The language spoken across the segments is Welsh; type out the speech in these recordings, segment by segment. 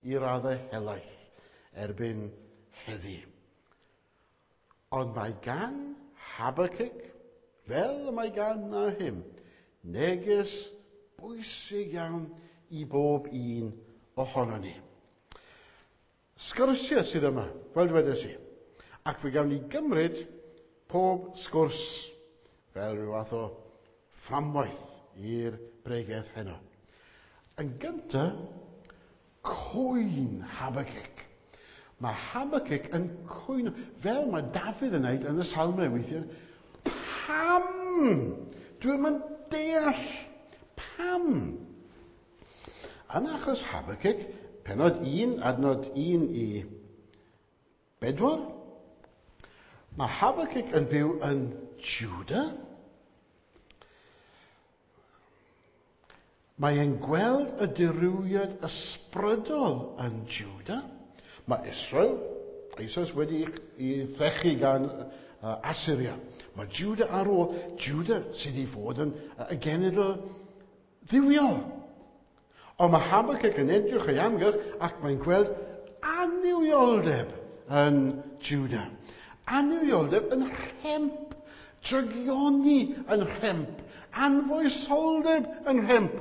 i raddau helaeth erbyn heddi. Ond mae gan Habakkuk, fel y mae gan Nahum, neges bwysig iawn i bob un ohonon ni. Sgyrsiau sydd yma, fel dwedes i. Ac fe gawn ni gymryd pob sgwrs fel rhyw fath o fframwaith i'r bregeth heno. Yn gyntaf, cwyn Habakkuk. Mae Habakkuk yn cwyno, fel mae Dafydd yn wneud yn y Salmau weithiau. Pam? Dwi'm yn deall. Pam? Yn achos Habakkuk, pennod 1, adnod 1 i 4, mae Habakkuk yn byw yn Juda. Mae e'n gweld y dirywiad ysbrydol yn Juda. Mae Israel eisoes wedi ei threchu gan Assyria. Mae Juda ar ôl, Juda sydd i fod yn y genedl dduwiol. Ond mae Habakkuk yn edrych o'i amgylch ac mae'n gweld annuwioldeb yn Juda. Annuwioldeb yn rhemp, drygioni yn rhemp, anfoesoldeb yn rhemp.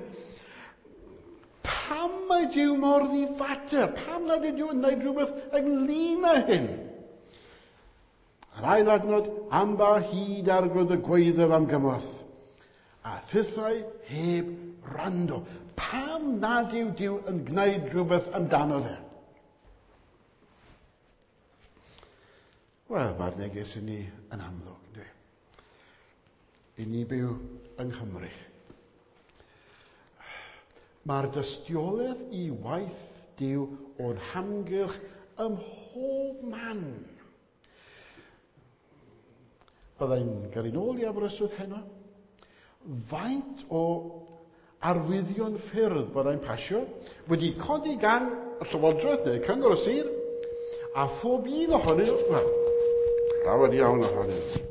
Pam mae Duw mor ddifater? Pam nad yw Duw yn gwneud rhywbeth ynglyn â hyn? Yr ail adnod, am ba hyd Arglwydd y gwaeddaf am gymorth, a thithau heb wrando. Pam nad yw Duw yn gwneud rhywbeth amdano fe? Wel, mae'r neges i ni yn amlwg, ynddi? I ni byw yng Nghymru. Mae'r dystiolaeth i waith Duw o'n hamgylch ym mhob man. Byddai'n gyrru nôl i Aberystwyth heno. Faint o arwyddion ffyrdd byddai'n pasio wedi codi gan y Llywodraeth neu Cyngor y Sir, a phob un ohonyn nhw, wel, llawer iawn ohonyn nhw.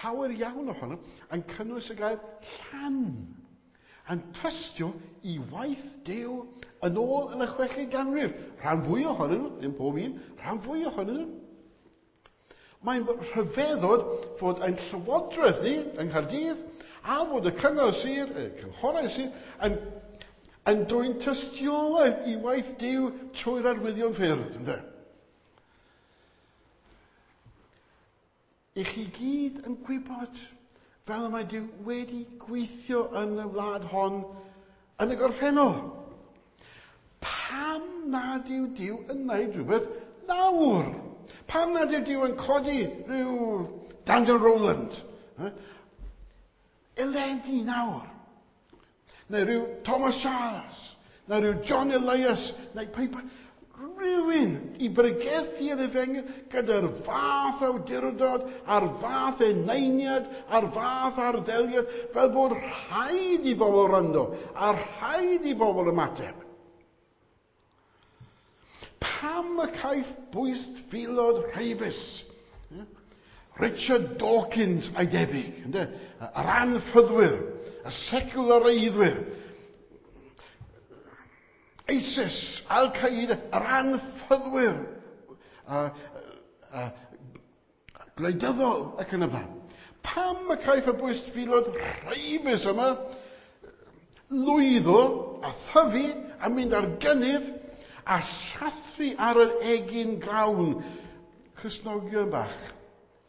Llawer iawn ohonyn nhw yn cynnwys y gair llan, yn tystio i waith Duw yn ôl yn y chweched ganrif. Rhan fwy ohonyn nhw, ddim pob un, rhan fwy ohonyn nhw. Mae'n rhyfeddod fod ein llywodraeth ni yng Nghaerdydd a fod y cyngor sir, y cynghorau sir, yn, yn dwyn tystiolaeth i waith Duw trwy'r arwyddion ffyrdd, ynddo? I chi gyd yn gwybod fel y mae Duw wedi gweithio yn y wlad hon yn y gorffennol. Pam nad yw Duw yn gwneud rhywbeth nawr? Pam nad yw Duw yn codi rhyw Daniel Rowland? Eleni nawr. Neu rhyw Thomas Charles, neu rhyw John Elias, neu pa, rhywun i bregethu yr efengyl gyda'r fath awdurdod, a'r fath eneiniad, a'r fath arddeliad, fel bod rhaid i bobl wrando, a rhaid i bobl ymateb. Pam y caiff bwystfilod rheibus? Richard Dawkins a'i debyg, ynde? Yr anffyddwyr, y seculareiddwyr, ISIS, Al-Qaeda, yr anffyddwyr, gwleidyddol ac yn y blaen. Pam y caiff y bwystfilod rheibus yma lwyddo a thyfu a mynd ar gynnydd a sathru ar yr egin grawn Cristnogion bach,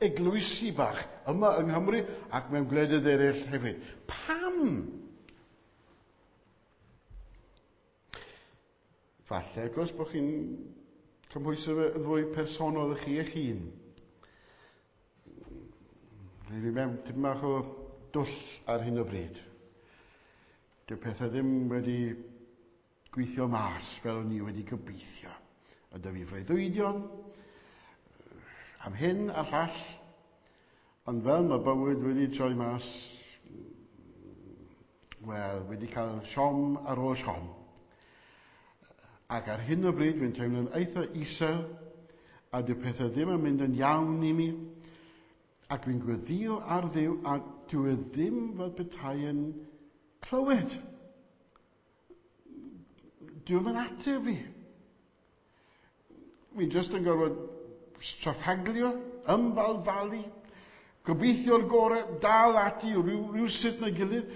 eglwysi bach yma yng Nghymru ac mewn gwledydd eraill hefyd? Pam? Falle, wrth gwrs, bod chi'n cymhwyso fe yn fwy personol i chi eich hun. Rwy'n fi mewn tipyn bach o dwll ar hyn o bryd. Dyw pethau ddim wedi gweithio mas fel o'n i wedi gobeithio. A dy fi freuddwydion am hyn a llall, ond fel mae bywyd wedi troi mas, wel, wedi cael siom ar ôl siom. Ac ar hyn o bryd, fi'n teimlo'n eitha isel, a dyw pethau ddim yn mynd yn iawn i mi, ac fi'n gweddio ar Dduw, a dyw e ddim fel petai yn clywed. Dyw e'n ateb fi. Fi jyst yn gorfod straffaglio, ymbalfalu, gobeithio'r gorau, dal ati rhyw sut neu gilydd.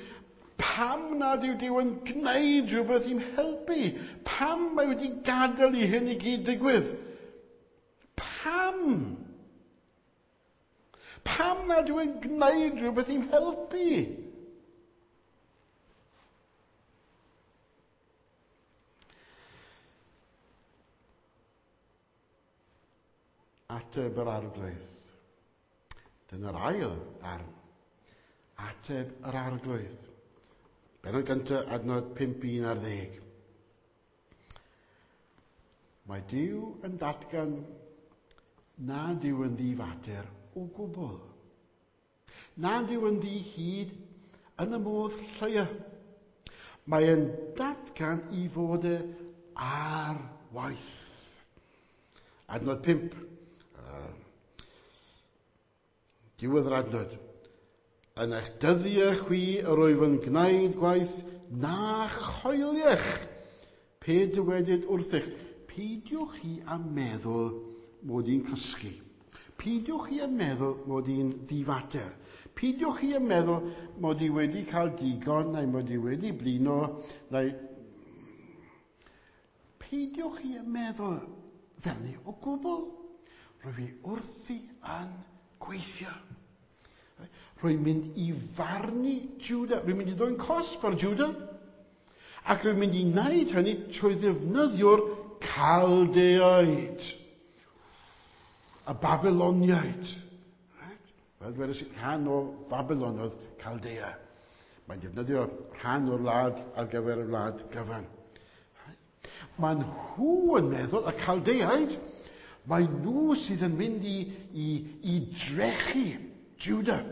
Pam nad yw Duw yn gwneud rhywbeth i'm helpu? Pam mae wedi gadael i hyn i gyd digwydd? Pam? Pam nad yw e'n gwneud rhywbeth i'm helpu? Ateb yr Arglwydd. Dyna'r ail darn. Ateb yr Arglwydd. Bennod gyntaf, adnod 5, 11. Mae Duw yn datgan nad yw yn ddifater o gwbl. Nad yw yn ddi-hid yn y modd lleia. Mae e'n datgan i fod e ar waith. Adnod 5. Diwedd yr adnod. Yn eich dyddiau chwi yr wyf yn gwneud gwaith na choeliech. Pe dywedyd wrthych, peidiwch chi â meddwl mod i'n cysgu. Peidiwch chi â meddwl mod i'n ddifater. Peidiwch chi â meddwl mod i wedi cael digon, neu mod i wedi blino, neu... Peidiwch chi â meddwl fel ni o gwbl. Rwy fi wrthi yn gweithio. Rwy'n mynd i farnu Judah. Rwy'n mynd i ddwyn cosb ar Judah. Ac rwy'n mynd i wneud hynny trwy ddefnyddio'r Caldeaid. Y Babyloniaid. Right? Fel dwedais i, rhan o Babylon oedd Caldea. Mae'n defnyddio rhan o'r wlad ar gyfer y wlad gyfan. Right? Mae nhw yn meddwl, y Caldeaid, mae nhw sydd yn mynd i drechu Judah.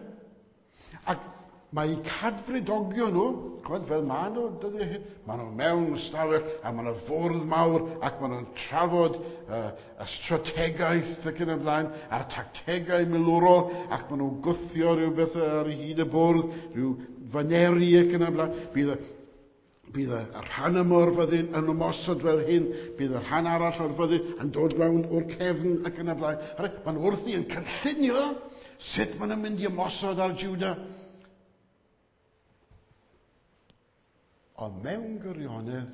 Ac mae cadfridogion nhw, ch'mod, fel maen nhw dyddiau hyn, maen nhw mewn stafell a maen nhw fwrdd mawr ac maen nhw'n trafod y strategaeth ac yn y blaen, a'r tactegau milwrol, ac maen nhw'n gwthio rhywbeth ar hyd y bwrdd, rhyw faneri ac yn y blaen. Bydd y rhan yma o'r fyddin yn ymosod fel hyn, bydd y rhan arall o'r fyddin yn dod rownd o'r cefn ac yn y blaen. Maen nhw wrthi yn cynllunio sut maen nhw'n mynd i ymosod ar Judah. Ond mewn gwirionedd,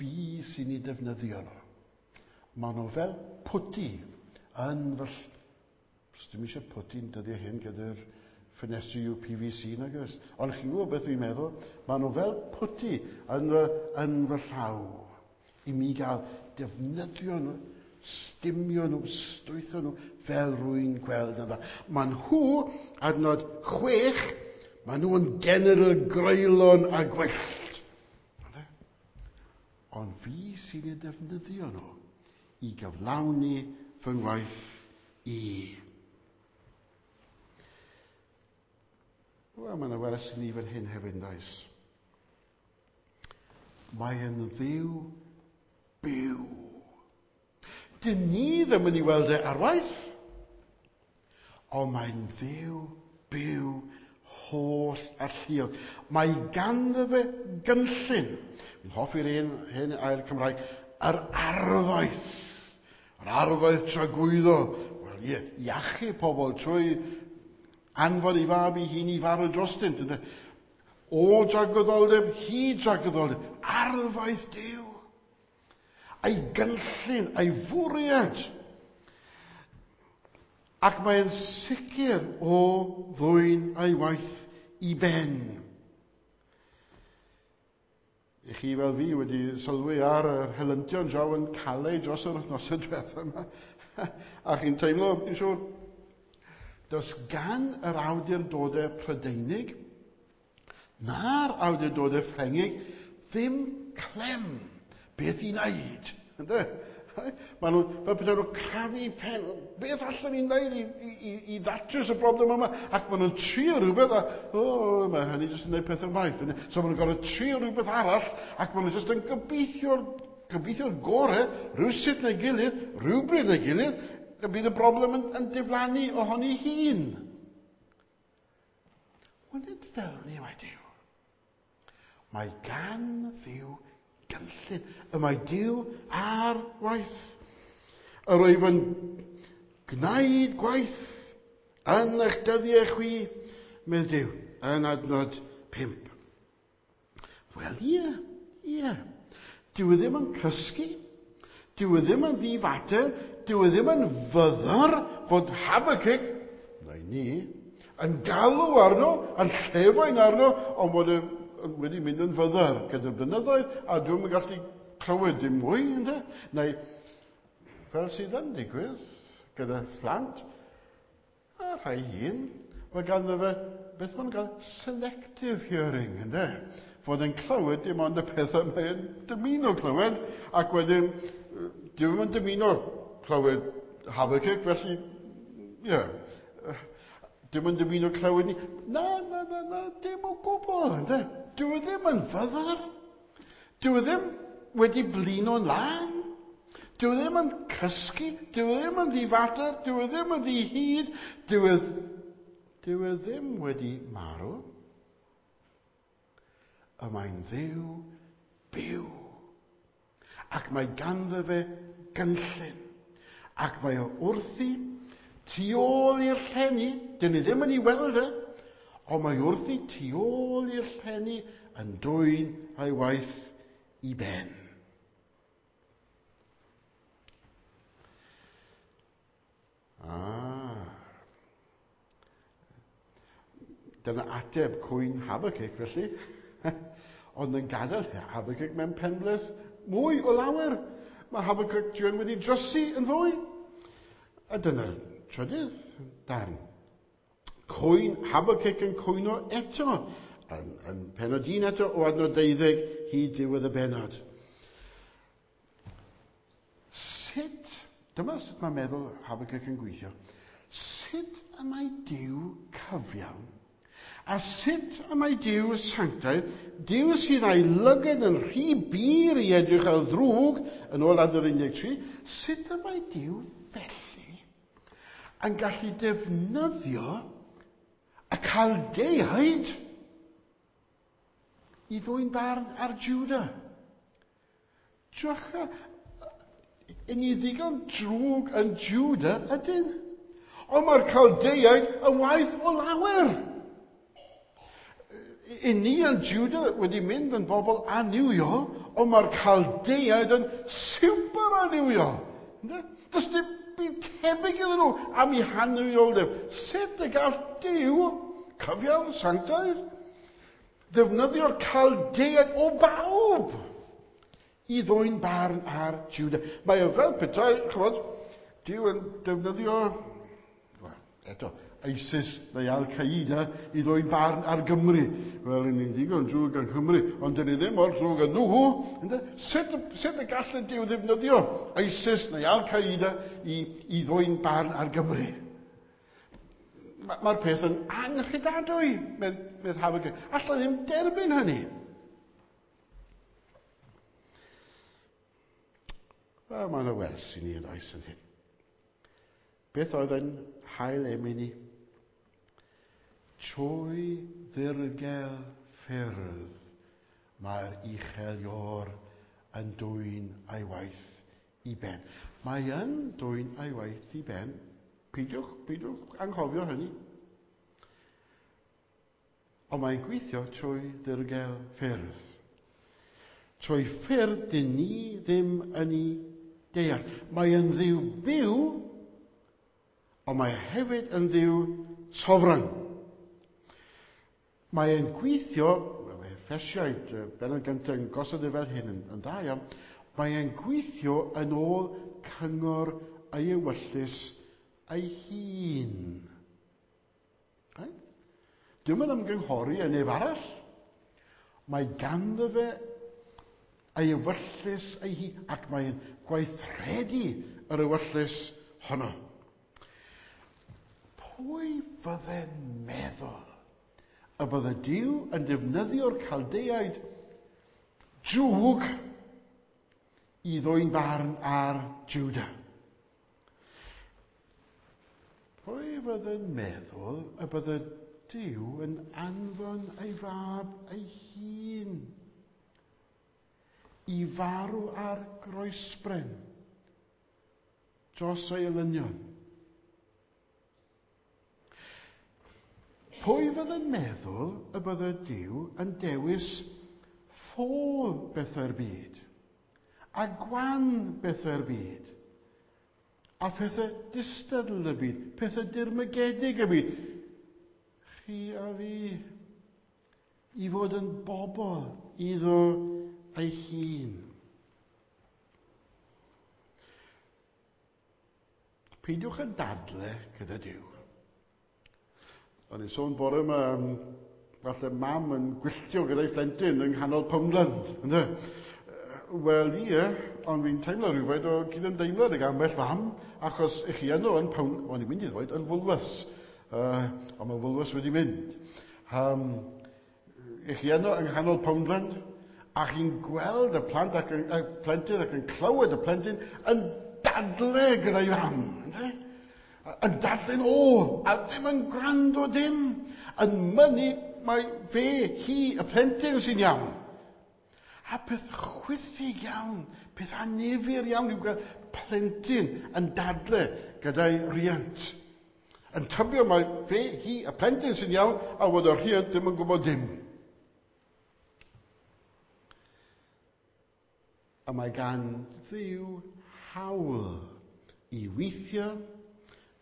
fi sy'n ei defnyddio nhw. Maen nhw fel pwti yn fy Does dim eisiau pwti'n dyddiau hyn gyda'r ffenestri UPVC, nag oes? Ond chi'n gwybod beth dwi'n meddwl? Maen nhw fel pwti yn fy llaw. I mi gael defnyddio nhw, stumio nhw, stwytho nhw, fel rwy'n gweld yn dda. Maen nhw, adnod 6, maen nhw yn genedl greulon a gwyllt. Ond fi sy'n eu defnyddio nhw i gyflawni fy ngwaith i. Wel, mae yna wers i ni fan hyn hefyd, yn does? Mae yn Dduw byw. Dyn ni ddim yn ei weld e ar waith, ond mae'n Dduw byw holl alluog. Mae ganddo fe gynllun. Fi'n hoffi'r un hen air Cymraeg, yr arfaeth. Yr arfaeth tragwyddol. Wel, ie, iachub pobl trwy anfon ei fab ei hun i farw drostynt. Ynde? O dragwyddoldeb, hyd dragwyddoldeb, arfaeth Duw. A'i gynllun, a'i fwriad. Ac mae'n sicr o ddwyn a'i waith i ben. I chi fel fi wedi sylwi ar yr helyntion draw yn Calais dros yr wythnosau diwethaf yma. A chi'n teimlo, fi'n siŵr, does gan yr awdurdodau Prydeinig na'r awdurdodau Ffrengig ddim clem beth i wneud. Ynde? Maen nhw, fel petai nhw'n crafu pen, beth allan ni'n wneud i ddatrys y broblem yma? Ac maen nhw'n trio rhywbeth, a, o, mae hynny jyst yn gwneud pethau waeth. Ynde? So maen nhw'n gorfod trio rhywbeth arall, ac maen nhw jyst yn gobeithio'r gorau, rhywsut neu gilydd, rhywbryd neu gilydd, y bydd y broblem yn diflannu ohoni hun. Wel, nid fel ni mae Duw. Mae gan Dduw gynllun. Y mae Duw ar waith. Yr wyf yn gwneud gwaith yn eich dyddiau chwi, medd Duw, yn adnod 5. Wel, ie, ie. Dyw e ddim yn cysgu. Dyw e ddim yn ddifater. Dyw e ddim yn fyddar fod Habakkuk, neu ni, yn galw arno, yn llefain arno, ond bod e wedi mynd yn fyddar gyda'r blynyddoedd, a dwi'm yn gallu clywed dim mwy, ynde? Neu, fel sydd yn digwydd gyda phlant, a rhai hyn, mae ganddo fe, beth maen nhw'n gael, selective hearing, ynde? Fod yn clywed dim ond y pethau mae'n dymuno clywed, ac wedyn, dim yn dymuno clywed Habakkuk, felly, ie, yeah, dim yn dymuno clywed ni. Na, na, na, na, dim o gwbl, ynde? Dyw e ddim yn fyddar. Dyw e ddim wedi blino'n lân. Dyw e ddim yn cysgu, dyw e ddim yn ddifater, dyw e ddim yn ddihud, dyw e ddim wedi marw. Y mae'n Dduw byw. Ac mae ganddo fe gynllun. Ac mae o wrthi tu ôl i'r llenni, dyn ni ddim yn ei weld e, ond mae wrthi tu ôl i'r llenni yn dwyn ei waith i ben. Dyna ateb cwyn Habakkuk, felly. Ond yn gadael Habakkuk mewn penbleth mwy o lawer. Mae Habakkuk druan wedi drysu yn fwy. A dyna'r trydydd darn. Cwyn Habakkuk yn cwyno eto. Yn pennod 1 eto o adnod 12 hyd diwedd y bennod. Sut, dyma sut mae meddwl Habakkuk yn gweithio. Sut y mae Duw cyfiawn? A sut y mae Duw sanctaidd, Duw sydd â'i lygad yn rhy bur i edrych ar ddrwg, yn ôl adnod 13, sut y mae Duw felly yn gallu defnyddio y Chaldeaid i ddwyn barn ar Juda? Drycha, yn ni ddigon drwg yn Juda ydyn. Ond mae'r Chaldeaid yn waeth o lawer. I ni yn Juda wedi mynd yn bobl annuwiol, ond mae'r Chaldeaid yn super annuwiol. Ynde? Does dim byd tebyg iddyn nhw am eu hannuwioldeb. Sut y gall Duw, cyfiawn, sanctaidd, ddefnyddio'r Chaldeaid o bawb i ddwyn barn ar Juda? Mae o fel petai, ch'mod, Duw yn defnyddio, wel, eto, ISIS neu Al-Qaeda i ddwyn barn ar Gymru. Wel, ni'n ddigon drwg yng Nghymru, ond dyn ni ddim mor drwg â nhw. Ynde? Sut y gall y Duw ddefnyddio ISIS neu Al-Qaeda i ddwyn barn ar Gymru? Mae'r peth yn anghredadwy, medd Habakkuk. Alla ddim derbyn hynny. Wel, mae yna wers i ni yn oes yn hyn. Beth oedd yn hail emyn ni? Trwy ddirgel ffyrdd mae'r uchel iôr yn dwyn ei waith i ben. Mae yn dwyn ei waith i ben. Peidiwch anghofio hynny. Ond mae'n gweithio trwy ddirgel ffyrdd. Trwy ffyrdd dyn ni ddim yn ei deall. Mae yn Dduw byw, ond mae hefyd yn Dduw sofran. Mae e'n gweithio, mae Effesiaid, bennod gyntaf yn gosod e fel hyn yn dda iawn, mae e'n gweithio yn ôl cyngor ei ewyllys ei hun. Right? Dyw'm yn ymgynghori â neb arall. Mae ganddo fe ei ewyllys ei hun, ac mae'n gweithredu yr ewyllys honno. Pwy fydde'n meddwl y bydde Duw yn defnyddio'r Chaldeaid drwg i ddwyn barn ar Juda? Pwy fydde'n meddwl y bydde Duw yn anfon ei fab ei hun i farw ar groesbren dros ei elynion. Pwy fydd yn meddwl y bydde Duw yn dewis ffôl bethau'r byd a gwan bethau'r byd a phethau distadl y byd, pethau dirmygedig y byd? Chi a fi i fod yn bobl iddo ei hun. Peidiwch yn dadle gyda Duw. O'n i'n sôn bore yma am falle mam yn gwylltio gyda'i phlentyn yng nghanol Poundland. Ynde? Wel, ie, ond fi'n teimlo rhywfaint o cydymdeimlad ag ambell fam, achos i chi yno yn Pound... O'n i'n mynd i ddweud yn Woolworths, ond mae Woolworths wedi mynd. I chi yno yng nghanol Poundland, a chi'n gweld y plant ac yn, y plentyn ac yn clywed y plentyn yn dadle gyda'i fam. Ynde? Yn dadle'n ôl, a ddim yn gwrando dim, yn mynnu mae fe, hi, y plentyn sy'n iawn. A peth chwithig iawn, peth annifyr iawn yw gweld plentyn yn dadle gyda'i riant. Yn tybio mae fe, hi, y plentyn sy'n iawn, a fod y rhiant ddim yn gwybod dim. A mae gan Dduw hawl i weithio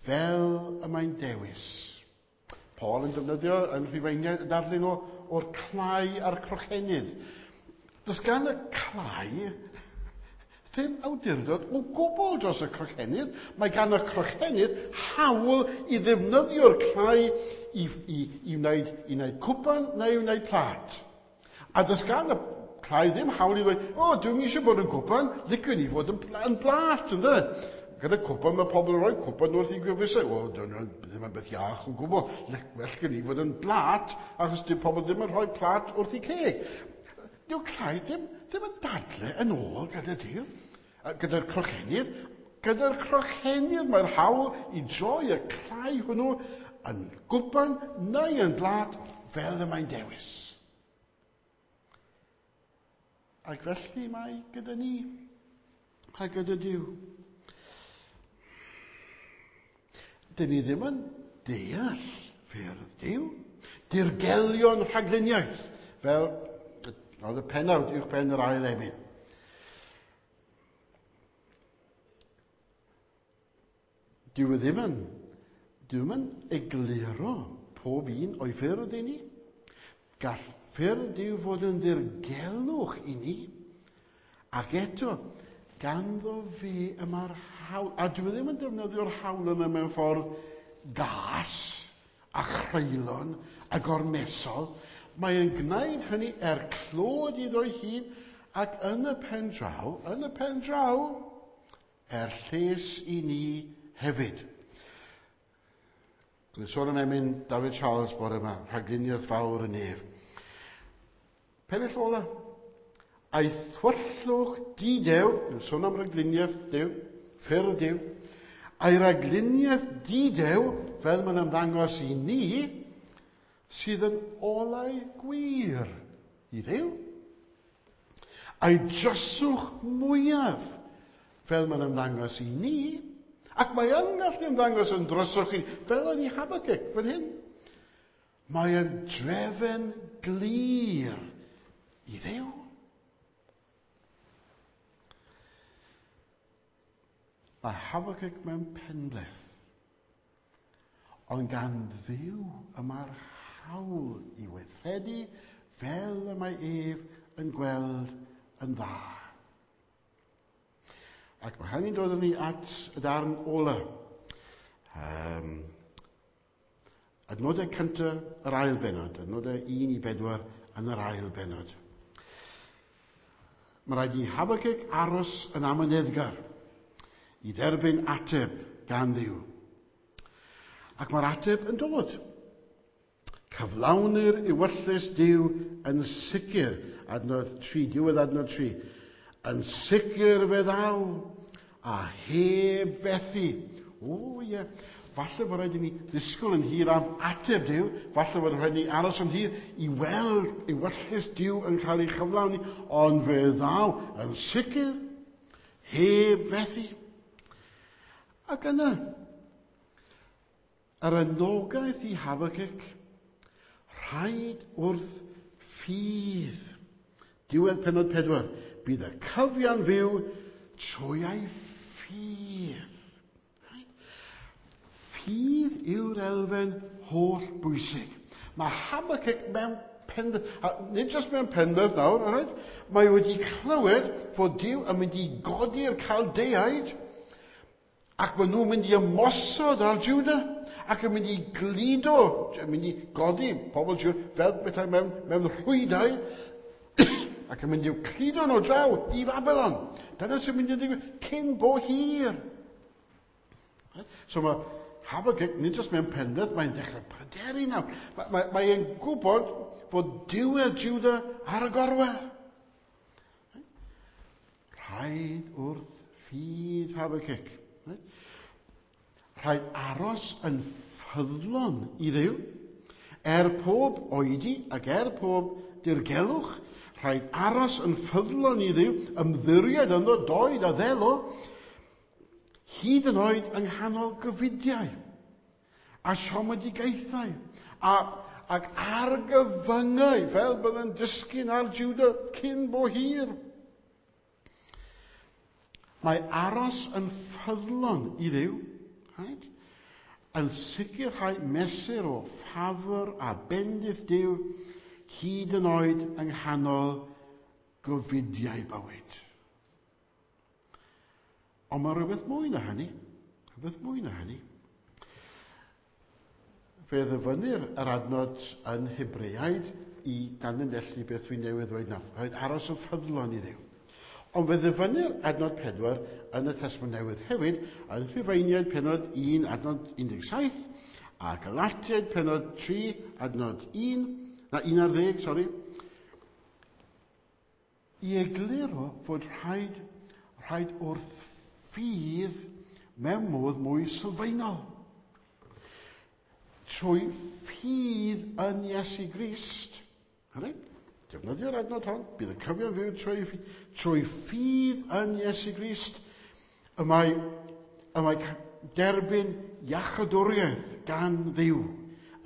fel y mae'n dewis. Paul yn defnyddio yn Rhufeiniaid y darlun o'r clai a'r crochenydd. Does gan y clai ddim awdurdod o gwbl dros y crochenydd. Mae gan y crochenydd hawl i ddefnyddio'r clai i wneud cwpan neu i wneud plat. A does gan y clai ddim hawl i ddweud, o, dwi'm eisiau bod yn cwpan, liciwn i fod yn blat, ynde? Gyda cwpan, mae pobl yn rhoi cwpan wrth i gwefusau. O, dyna ddim yn beth iach o gwbl. Well gen i fod yn blat, achos dyw pobl ddim yn rhoi plat wrth i ceg. Dyw clai ddim yn dadle yn ôl gyda Duw, gyda'r crochenydd. Gyda'r crochenydd mae'r hawl i droi y clai hwnnw yn gwpan neu yn blat fel y mae'n dewis. Ac felly mae gyda ni a gyda Duw. Dyn ni ddim yn deall ffyrdd Duw. Dirgelion rhagluniaeth, fel oedd y pennawd uwch ben yr ail emyn. Dyw e ddim yn, dyw ddim yn egluro pob un o'i ffyrdd i ni. Gall ffyrdd Duw fod yn ddirgelwch i ni, ac eto, ganddo fe y mae'r hawl. A dwi ddim yn defnyddio'r hawl yna mewn ffordd gas a chreulon a gormesol. Mae e'n gwneud hynny er clod iddo'i hun ac yn y pen draw, yn y pen draw, er lles i ni hefyd. Dwi'n sôn am emyn David Charles bore yma, rhagluniaeth fawr y nef. Pennill ola. A'i thwyllwch didew, dwi'n sôn am ragluniaeth Duw, ffyrdd Duw, a'i ragluniaeth didew, fel mae'n ymddangos i ni, sydd yn olau gwir i Dduw. A'i dryswch mwyaf, fel mae'n ymddangos i ni, ac mae yn gallu ymddangos yn dryswch i ni, fel oedd i Habakkuk fan hyn. Mae yn drefen glir i Dduw. Mae Habakkuk mewn penbleth, ond gan Dduw y mae'r hawl i weithredu fel y mae ef yn gweld yn dda. Ac mae hynny'n dod â ni at y darn ola. Adnodau cyntaf yr ail bennod, adnodau 1 i 4 yn yr ail bennod. Mae rhaid i Habakkuk aros yn amyneddgar i dderbyn ateb gan Dduw. Ac mae'r ateb yn dod. Cyflawnir ewyllys Duw yn sicr, adnod 3, diwedd adnod 3. Yn sicr fe ddaw, a heb fethu. O ie, Falle bod rhaid i ni ddisgwyl yn hir am ateb Duw, falle bod rhaid i ni aros yn hir i weld ewyllys Duw yn cael ei chyflawni, ond fe ddaw yn sicr heb fethu. Ac yna, yr anogaeth i Habakkuk, rhaid wrth ffydd. Diwedd pennod 4, bydd y cyfiawn fyw trwy ei ffydd. Ffydd yw'r elfen holl bwysig. Mae Habakkuk mewn penbeth, a nid jyst mewn penbeth nawr, right? Mae wedi clywed fod Duw yn mynd i godi'r Caldeaid ac maen nhw'n mynd i ymosod ar Juda ac yn mynd i gludo, yn mynd i godi pobl Juda fel bethau mewn rhwydau ac yn mynd i'w cludo nhw draw i Babylon. Dyna sy'n mynd i ddigwydd cyn bo hir. So mae Habakkuk, nid jyst mewn penbeth, mae'n dechrau pryderu nawr. Mae'n gwybod fod diwedd Juda ar y gorwel. Rhaid wrth ffydd Habakkuk. Rhaid aros yn ffyddlon i Dduw. Er pob oedi ac er pob dirgelwch, rhaid aros yn ffyddlon i Dduw, ymddiried ynddo, doed a ddelo, hyd yn oed yng nghanol gofidiau a siomedigaethau ac argyfyngau fel bydd yn disgyn ar Juda cyn bo hir. Mae aros yn ffyddlon i Dduw, right, yn sicrhau mesur o ffafr a bendith Duw hyd yn oed yng nghanol gofidiau bywyd. Ond mae rhywbeth mwy na hynny. Rhywbeth mwy na hynny. Fe ddyfynnir yr adnod yn Hebreaid i danlinellu beth dwi'n newydd ddweud nawr. Rhaid aros yn ffyddlon i Dduw. Ond fe ddyfynnir adnod 4 yn y Testament Newydd hefyd yn Rhufeiniaid pennod 1 adnod 17 a Galatiaid pennod 3 adnod 1, na 11, sori, i egluro fod rhaid wrth ffydd mewn modd mwy sylfaenol. Trwy ffydd yn Iesu Grist. Right? Defnyddio'r adnod hon, bydd y cyfiawn fyw trwy ffydd yn Iesu Grist. Y mae derbyn iachadwriaeth gan Dduw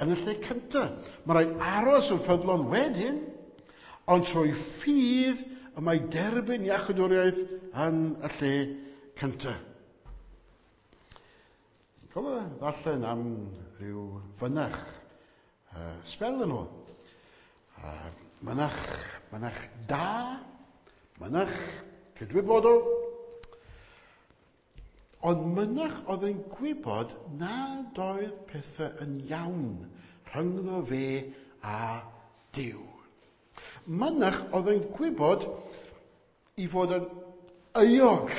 yn y lle cyntaf. Mae rhaid aros yn ffyddlon wedyn, ond trwy ffydd y mae derbyn iachadwriaeth yn y lle cyntaf. Cofio ddarllen am ryw fynach sbel yn ôl. Mynach da, mynach cydwybodol, ond mynach oedd yn gwybod nad oedd pethau yn iawn rhyngddo fe a Duw. Mynach oedd yn gwybod i fod yn euog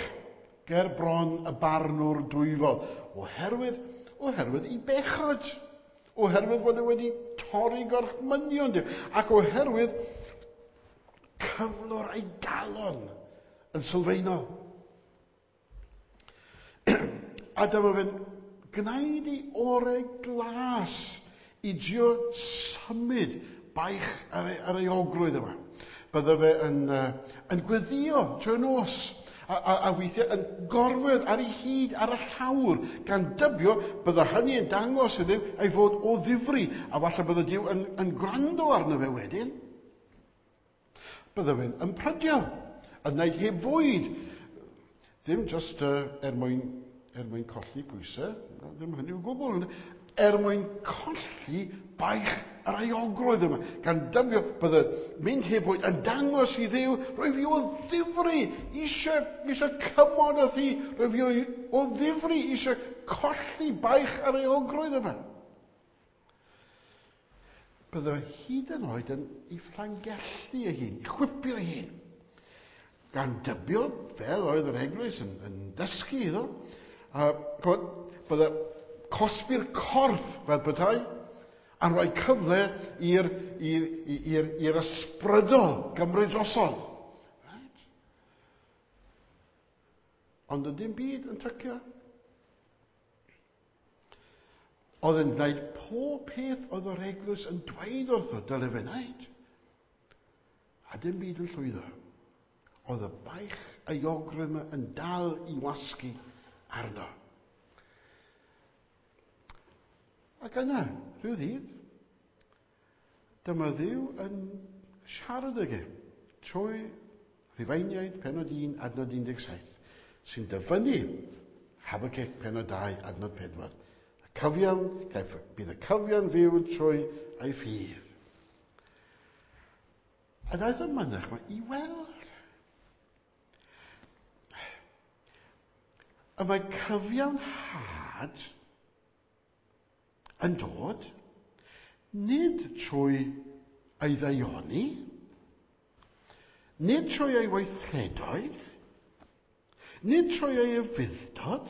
ger bron y barnwr dwyfol, oherwydd i bechod, oherwydd fod e wedi torri gorchmynion Duw, ac oherwydd cyflwr ei galon yn sylfaenol. A dyma fe'n gwneud ei orau glas i drio symud baich ar ei ogrwydd yma. Bydde fe yn gweddio trwy'r nos, a weithiau yn gorwedd ar ei hyd ar y llawr, gan dybio bydde hynny yn dangos iddo ei fod o ddifri, a falle bydde Duw yn gwrando arno fe wedyn. Bydde fe'n ymprydio, yn gwneud heb fwyd, ddim just er mwyn colli pwysau, ddim hynny o gwbl, er mwyn colli baich yr euogrwydd yma, gan dybio bydde mynd heb fwyd yn dangos i Dduw, rwy fi o ddifri eisiau cymod â thi, rwy fi o ddifri eisiau colli baich yr euogrwydd yma. Bydde hyd yn oed yn ei fflangellu ei hun, i chwipio ei hun, gan dybio, fel oedd yr eglwys yn dysgu iddo, a bydde cosbi'r corff fel petai, a'n rhoi cyfle i'r ysbrydol gymryd drosodd. Right? Ond y dim byd yn tycio. Oedd yn gwneud pob peth oedd yr eglwys yn dweud wrtho dyle fe wneud. A dim byd yn llwyddo. Oedd y baich euogrwydd yma yn dal i wasgu arno. Ac yna, rhyw ddydd, dyma Dduw yn siarad ag e trwy Rhufeiniaid penod 1 adnod 17, sy'n dyfynnu Habacuc penod 2 adnod 4. Y cyfiawn, caiff, bydd y cyfiawn fyw trwy ei ffydd. A daeth y mynach yma i weld. Y mae cyfiawnhad yn dod nid trwy ei ddaioni, nid trwy ei weithredoedd, nid trwy ei ufudd-dod,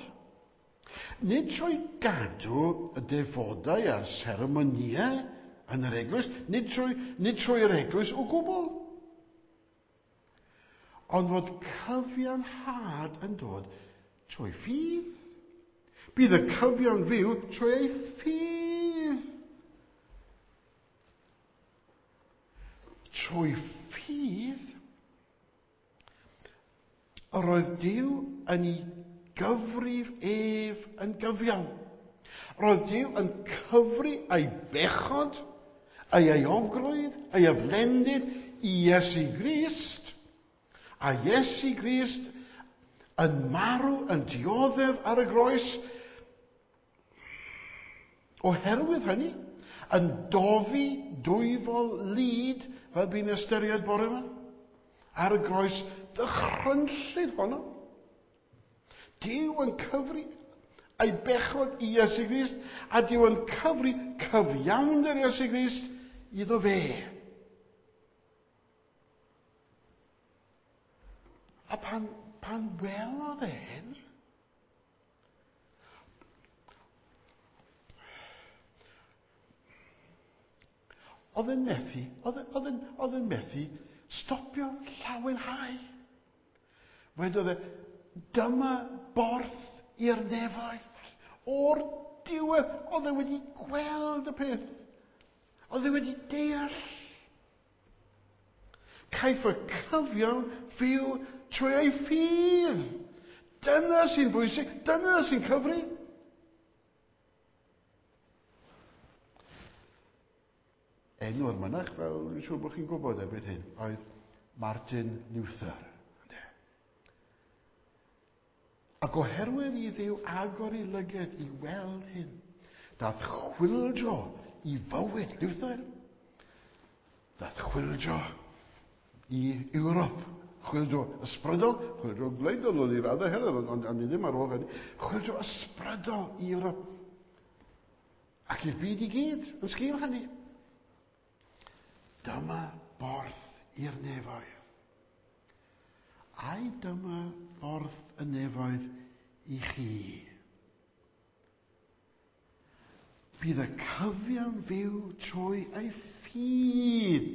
nid trwy gadw y defodau a'r seremonïau yn yr eglwys, nid trwy, nid trwy'r eglwys o gwbl. Ond fod cyfiawnhad yn dod trwy ffydd. Bydd y cyfiawn fyw trwy ei ffydd. Trwy ffydd, yr oedd Duw yn ei gyfrif ef yn gyfiawn. Roedd Duw yn cyfri ei bechod, ei euogrwydd, ei aflendid i Iesu Grist, a Iesu Grist yn marw, yn dioddef ar y groes. Oherwydd hynny, yn dofi dwyfol lid, fel bu'n ystyried bore yma, ar y groes ddychrynllyd honno. Duw yn cyfri ei bechod i Iesu Grist, a Duw yn cyfri cyfiawnder Iesu Grist iddo fe. A pan, pan welodd e hyn, oedd yn methu, oedd, oedd, yn, oedd yn methu stopio llawenhau. Wedodd e, dyma borth i'r nefoedd. O'r diwedd, oedd e wedi gweld y peth. Oedd e wedi deall. Caiff y cyfiawn fyw trwy ei ffydd. Dyna sy'n bwysig, dyna sy'n cyfri. Enw'r mynach, fel dwi'n siŵr bod chi'n gwybod erbyn hyn, oedd Martin Luther. Ac oherwydd i Dduw agor ei lyged i weld hyn, dath chwyldro i fywyd Luther. Dath chwyldro i Ewrop. Chwyldro ysbrydol, chwyldro gwleidyddol oedd i raddau hefyd, ond, ond, ond ddim ar ôl hynny. Chwyldro ysbrydol i Ewrop. Ac i'r byd i gyd yn sgil hynny. Dyma borth i'r nefoedd. Ai dyma borth y nefoedd i chi? Bydd y cyfiawn fyw trwy ei ffydd.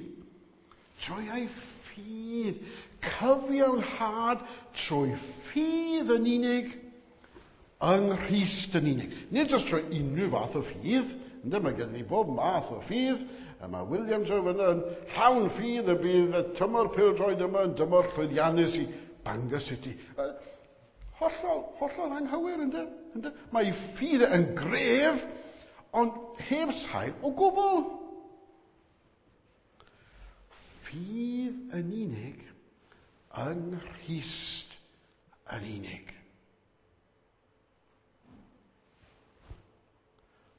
Trwy ei ffydd. Cyfiawnhad trwy ffydd yn unig, yng Nghrist yn unig. Nid jyst trwy unrhyw fath o ffydd, ynddo, mae gen ni bob math o ffydd, a mae Williams o fyna yn llawn ffydd y bydd y tymor pêl-droed yma yn dymor llwyddiannus i Bangor City. Hollol, hollol anghywir, ynddo? Ynddo? Mae ei ffydd yn gref, ond heb sail o gwbl. Ffydd yn unig, yng Nghrist yn unig.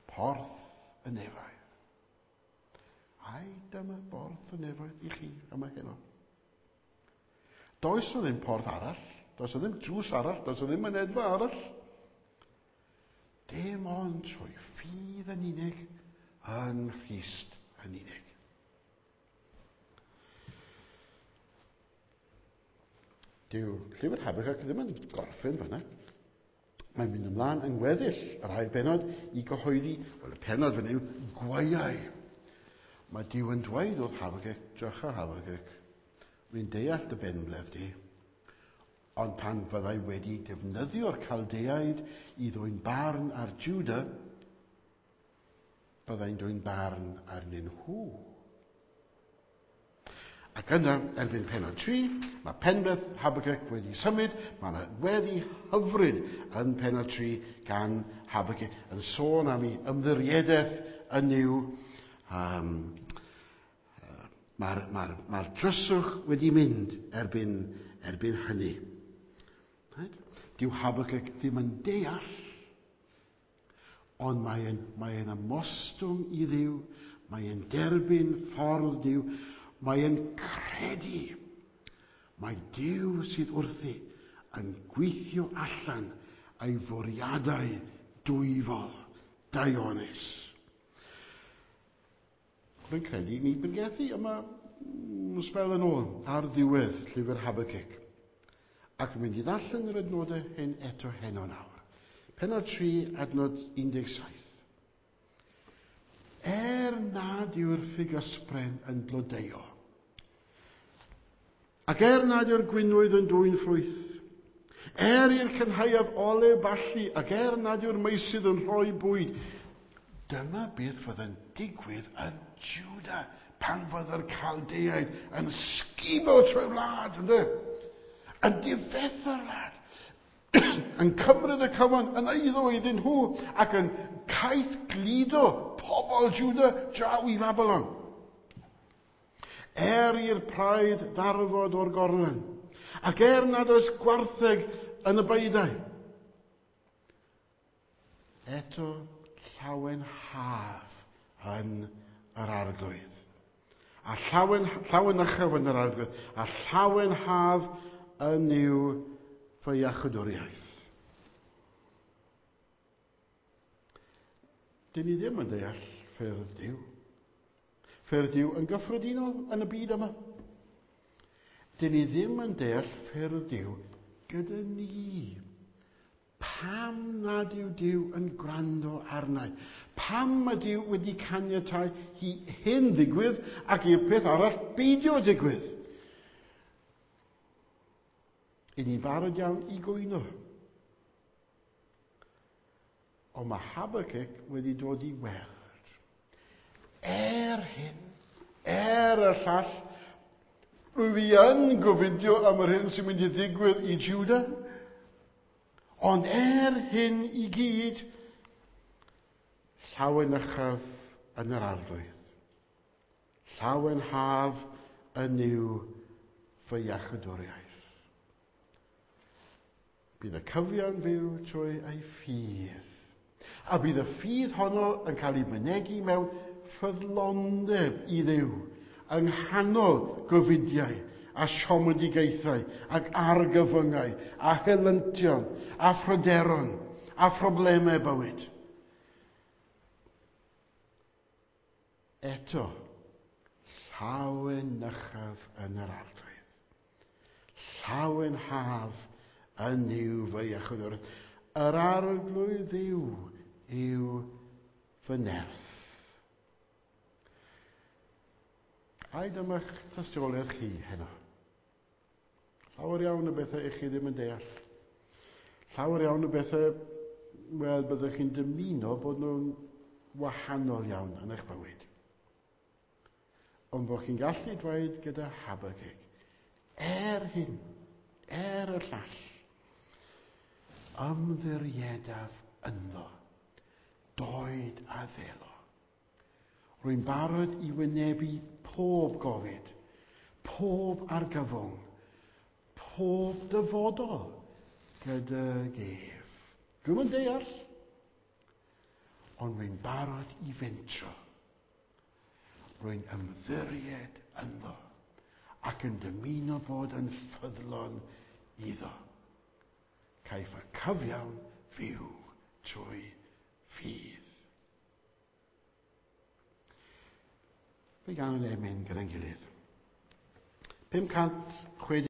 Porth y nefoedd. Ai dyma borth y nefoedd i chi yma heno. Does o ddim porth arall, does o ddim drws arall, does o ddim mynedfa arall. Dim ond trwy ffydd yn unig, yng Nghrist yn unig. Dyw llyfr Habakkuk ddim yn gorffen fyna. Mae'n mynd ymlaen yng ngweddill yr ail bennod i gyhoeddi, wel y pennod fan yw gwaeau. Mae Duw yn dweud wrth Habakkuk, drycha Habakkuk, rwy'n deall dy benbleth di, ond pan fyddai wedi defnyddio'r Caldeaid i ddwyn barn ar Juda, Byddai'n dwyn barn arnyn nhw. Ac yna, erbyn pennod 3, mae penbleth Habakkuk wedi symud, mae yna weddi hyfryd yn pennod 3 gan Habakkuk yn sôn am ei ymddiriedaeth yn Nuw. Mae'r dryswch wedi mynd erbyn hynny. Right? Dyw Habakkuk ddim yn deall, ond mae'n ymostwng i Dduw, mae'n derbyn ffordd Duw, mae'n credu. Mae Duw sydd wrthi yn gweithio allan ei fwriadau dwyfol, daionus. Rwy'n credu ni bregethu yma sbel yn ôl ar ddiwedd llyfr Habakkuk. Ac yn mynd i ddarllen yr adnodau hyn eto heno nawr. Pennod 3, adnod 17. Er nad yw'r ffigysbren yn blodeuo, ac er nad yw'r gwinwydd yn dwyn ffrwyth, er i'r cynhaeaf olew ballu, ac er nad yw'r meysydd yn rhoi bwyd, dyma beth fydd yn digwydd yn Juda pan fydd yr Caldeaid yn sgubo trwy'r wlad, ynde? Yn difetha'r wlad, yn cymryd y cyfan yn eiddo iddyn nhw ac yn caeth gludo pobl Juda draw i Babylon. Er i'r praidd ddarfod o'r gorlan, ac er nad oes gwartheg yn y beudai, eto llawenhaf yn yr Arglwydd. A llawenychaf yn yr Arglwydd, a llawenhaf yn yw fy iachawdwriaeth. Dyn ni ddim yn deall ffyrdd Duw. Ffyrdd Duw yn gyffredinol yn y byd yma. Dyn ni ddim yn deall ffyrdd Duw gyda ni. Pam nad yw Duw yn gwrando arnau? Pam mae Duw wedi caniatáu i hyn ddigwydd ac i'r peth arall beidio digwydd? I ni'n barod iawn i gwyno. Ond mae Habakkuk wedi dod i weld. Er hyn, er y llall, rwyf i yn gofidio am yr hyn sy'n mynd i ddigwydd i Juda. Ond er hyn i gyd, llawenychaf yn yr Arglwydd. Llawenhaf yn yw fy iachawdwriaeth. Bydd y cyfiawn fyw trwy ei ffydd. A bydd y ffydd honno yn cael ei mynegi mewn ffyddlondeb i Dduw, yng nghanol gofidiau a siomedigaethau ac argyfyngau a helyntion a phryderon a phroblemau bywyd. Eto, llawenychaf yn yr Arglwydd. Llawenhaf yn yw fy iachawdwriaeth. Yr Arglwydd Dduw yw fy nerth. Ai dyma'ch tystiolaeth chi heno? Llawer iawn o bethau i chi ddim yn deall. Llawer iawn o bethau, wel, byddwch chi'n dymuno bod nhw'n wahanol iawn yn eich bywyd. Ond bod chi'n gallu dweud gyda Habakkuk, er hyn, er y llall, ymddiriedaf ynddo, doed a ddelo. Rwy'n barod i wynebu pob gofid, pob argyfwng, pob dyfodol gydag ef. Dwi'm yn deall, ond rwy'n barod i fentro. Rwy'n ymddiried ynddo ac yn dymuno bod yn ffyddlon iddo. Caiff y cyfiawn fyw trwy ffydd. Fe ganwn emyn gyda'n gilydd. 560.